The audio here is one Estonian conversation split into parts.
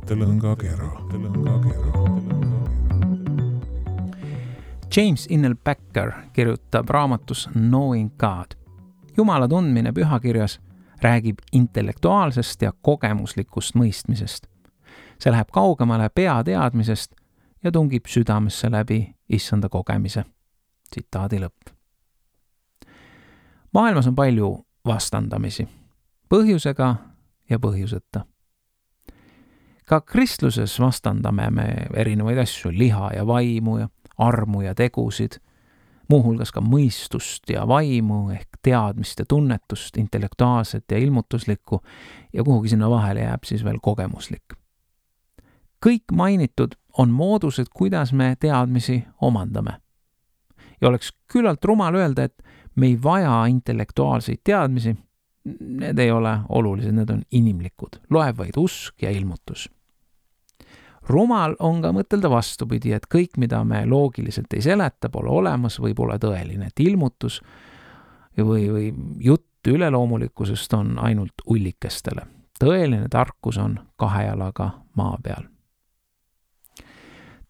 mõttelõngakera. James Innel Packer kirjutab raamatus Knowing God. Jumala tundmine pühakirjas räägib intellektuaalsest ja kogemuslikust mõistmisest. See läheb kaugemale peateadmisest ja tungib südamesse läbi issanda kogemise. Tsitaadi lõpp. Maailmas on palju vastandamisi, põhjusega ja põhjuseta. Ka kristluses vastandame me erinevaid asju, liha ja vaimu ja armu ja tegusid, muuhulgas ka mõistust ja vaimu ehk teadmist ja tunnetust, intellektuaalset ja ilmutuslikku ja kuhugi sinna vahele jääb siis veel kogemuslik. Kõik mainitud on moodused, kuidas me teadmisi omandame. Ja oleks küllalt rumal öelda, et me ei vaja intellektuaalseid teadmisi, need ei ole olulised, need on inimlikud, loeb vaid usk ja ilmutus. Rumal on ka mõtelda vastupidi, et kõik, mida me loogiliselt ei seleta, pole olemas või pole tõeline, et ilmutus või jutt üleloomulikkusest on ainult ullikestele. Tõeline tarkus on 2 jalaga maa peal.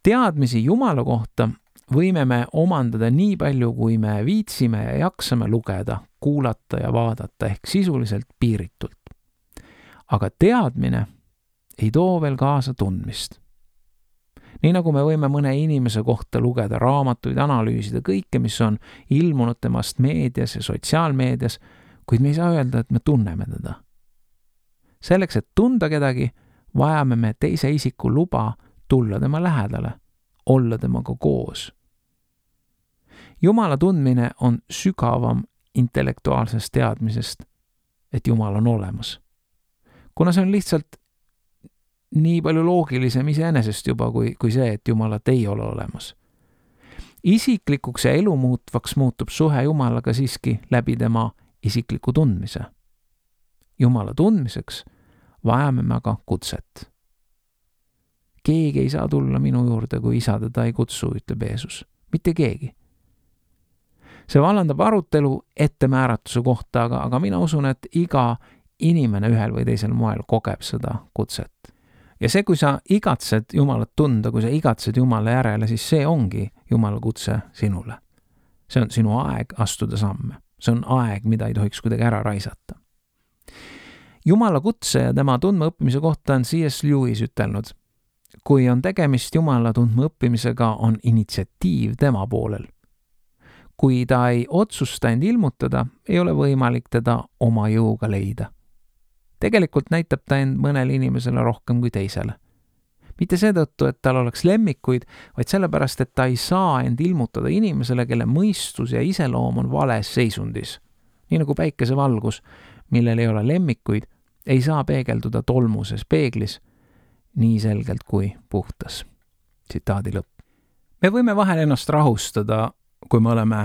Teadmisi Jumala kohta võime me omandada nii palju, kui me viitsime ja jaksame lugeda, kuulata ja vaadata ehk sisuliselt piiritult. Aga teadmine ei too veel kaasa tundmist. Nii nagu me võime mõne inimese kohta lugeda raamatuid, analüüsida kõike, mis on ilmunud temast meedias ja sotsiaalmeedias, kuid me ei saa öelda, et me tunneme teda. Selleks, et tunda kedagi, vajame me teise isiku luba tulla tema lähedale, olla temaga koos. Jumala tundmine on sügavam intellektuaalsest teadmisest, et Jumal on olemas. Kuna see on lihtsalt nii palju loogilisem iseenesest juba kui see, et Jumalat ei ole olemas. Isiklikuks ja elu muutvaks muutub suhe Jumalaga siiski läbi tema isikliku tundmise. Jumala tundmiseks vajame me aga kutset. Keegi ei saa tulla minu juurde, kui isa teda ei kutsu, ütleb Jeesus. Mitte keegi. See vallandab arutelu ettemääratuse kohta, aga mina usun, et iga inimene ühel või teisel moel kogeb seda kutset. Ja see, kui sa igatsed Jumalat tunda, kui sa igatsed Jumala järele, siis see ongi Jumala kutse sinule. See on sinu aeg astuda samme. See on aeg, mida ei tohiks kuidagi ära raisata. Jumala kutse ja tema tundma õppimise kohta on C.S. Lewis ütelnud. Kui on tegemist Jumala tundma õppimisega, on initsiatiiv tema poolel. Kui ta ei otsusta end ilmutada, ei ole võimalik teda oma jõuga leida. Tegelikult näitab ta end mõnele inimesele rohkem kui teisele. Mitte seetõttu, et tal oleks lemmikuid, vaid sellepärast, et ta ei saa end ilmutada inimesele, kelle mõistus ja iseloom on vales seisundis. Nii nagu päikesevalgus, millel ei ole lemmikuid, ei saa peegelduda tolmuses peeglis nii selgelt kui puhtas. Tsitaadi lõpp. Me võime vahel ennast rahustada, kui me oleme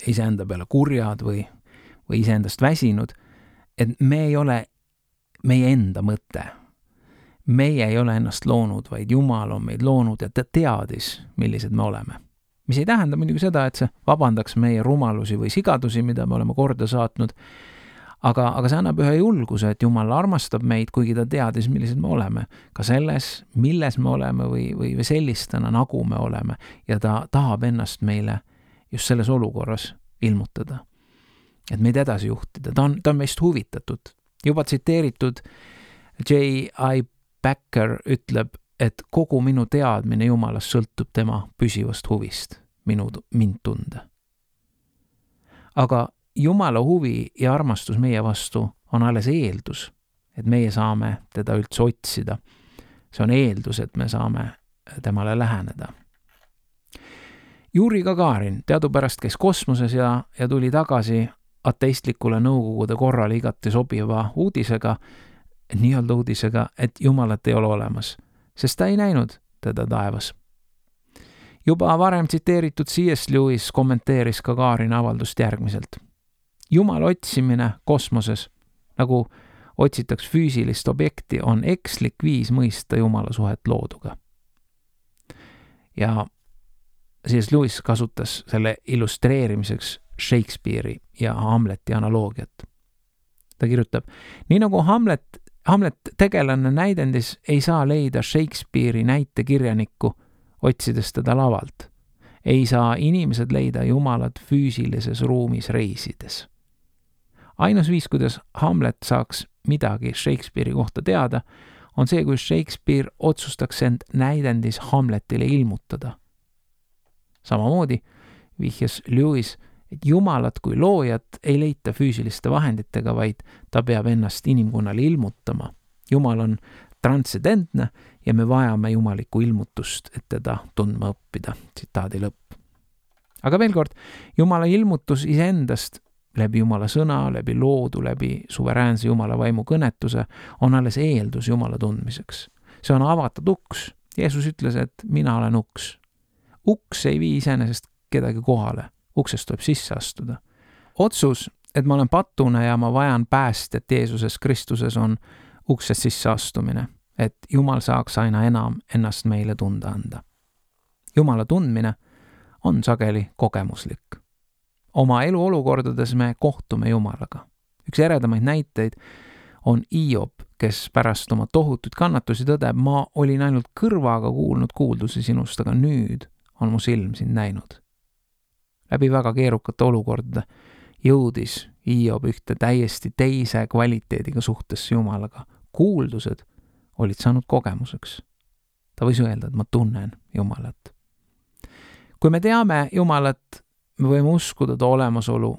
iseenda peale kurjad või iseendast väsinud, et me ei ole meie enda mõte. Meie ei ole ennast loonud, vaid Jumal on meid loonud ja ta teadis, millised me oleme. Mis ei tähenda muidugi seda, et see vabandaks meie rumalusi või sigadusi, mida me oleme korda saatnud, aga see annab ühe julguse, et Jumal armastab meid, kuigi ta teadis, millised me oleme. Ka selles, milles me oleme või sellistena, nagu me oleme. Ja ta tahab ennast meile just selles olukorras ilmutada. Et meid edasi juhtida. Ta on meist huvitatud. Juba tsiteeritud J.I. Packer ütleb, et kogu minu teadmine Jumalast sõltub tema püsivast huvist mind tunda. Aga Jumala huvi ja armastus meie vastu on alles eeldus, et meie saame teda üldse otsida. See on eeldus, et me saame temale läheneda. Juri Gagarin teadupärast käis kosmoses ja tuli tagasi ateistlikule nõukogude korrale igati sobiva uudisega, nii-öelda uudisega, et Jumalat ei ole olemas, sest ta ei näinud teda taevas. Juba varem tsiteeritud C.S. Lewis kommenteeris Gagarini avaldust järgmiselt. Jumala otsimine kosmoses, nagu otsitaks füüsilist objekti, on ekslik viis mõista Jumala suhet looduga. Ja C.S. Lewis kasutas selle illustreerimiseks Shakespeare'i ja Hamleti analoogiat. Ta kirjutab, nii nagu Hamlet Hamlet tegelane näidendis ei saa leida Shakespeare'i näitekirjanikku, otsides teda lavalt. Ei saa inimesed leida Jumalat füüsilises ruumis reisides. Ainus viis, kuidas Hamlet saaks midagi Shakespeare'i kohta teada, on see, kui Shakespeare otsustaks end näidendis Hamletile ilmutada. Samamoodi vihjas Lewis, et Jumalat kui loojat ei leita füüsiliste vahenditega, vaid ta peab ennast inimkonnale ilmutama. Jumal on transcendentne ja me vajame jumalikku ilmutust, et teda tundma õppida. Tsitaadi lõpp. Aga veel kord, Jumala ilmutus iseendast läbi Jumala sõna, läbi loodu, läbi suveräänse Jumala vaimu kõnetuse on alles eeldus Jumala tundmiseks. See on avatud uks. Jeesus ütles, et mina olen uks. Uks ei vii iseenesest kedagi kohale. Uksest tuleb sisse astuda. Otsus, et ma olen patune ja ma vajan päästjat Jeesuses Kristuses, on uksest sisse astumine, et Jumal saaks aina enam ennast meile tunda anda. Jumala tundmine on sageli kogemuslik. Oma eluolukordades me kohtume Jumalaga. Üks eredamaid näiteid on Hiob, kes pärast oma tohutuid kannatusi tõdeb, ma olin ainult kõrvaga kuulnud kuuldusi sinust, aga nüüd on mu silm sind näinud. Läbi väga keerukate olukordade jõudis Hiob ühte täiesti teise kvaliteediga suhtesse Jumalaga. Kuuldused olid saanud kogemuseks. Ta võis öelda, et ma tunnen Jumalat. Kui me teame Jumalat, me võime uskuda ta olemasolu,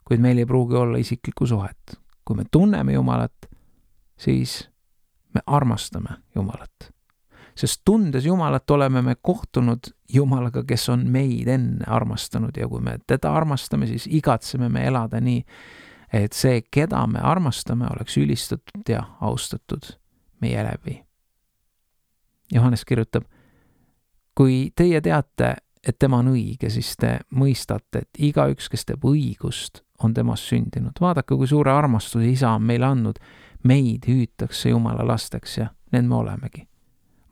kuid meil ei pruugi olla isiklikku suhet. Kui me tunneme Jumalat, siis me armastame Jumalat. Sest tundes Jumalat oleme me kohtunud Jumalaga, kes on meid enne armastanud ja kui me teda armastame, siis igatseme me elada nii, et see, keda me armastame, oleks ülistatud ja austatud meie läbi. Johannes kirjutab, kui teie teate, et tema on õige, siis te mõistate, et igaüks, kes teeb õigust, on temast sündinud. Vaadake, kui suure armastuse isa on meile andnud, meid hüütakse Jumala lasteks ja need me olemegi.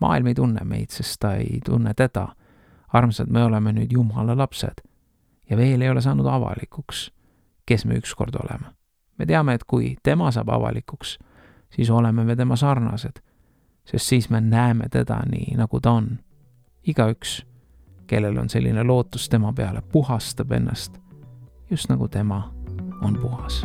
Maailm ei tunne meid, sest ta ei tunne teda. Armsad, me oleme nüüd Jumala lapsed ja veel ei ole saanud avalikuks, kes me ükskord oleme. Me teame, et kui tema saab avalikuks, siis oleme me tema sarnased, sest siis me näeme teda nii, nagu ta on. Igaüks, kellel on selline lootus tema peale, puhastab ennast, just nagu tema on puhas.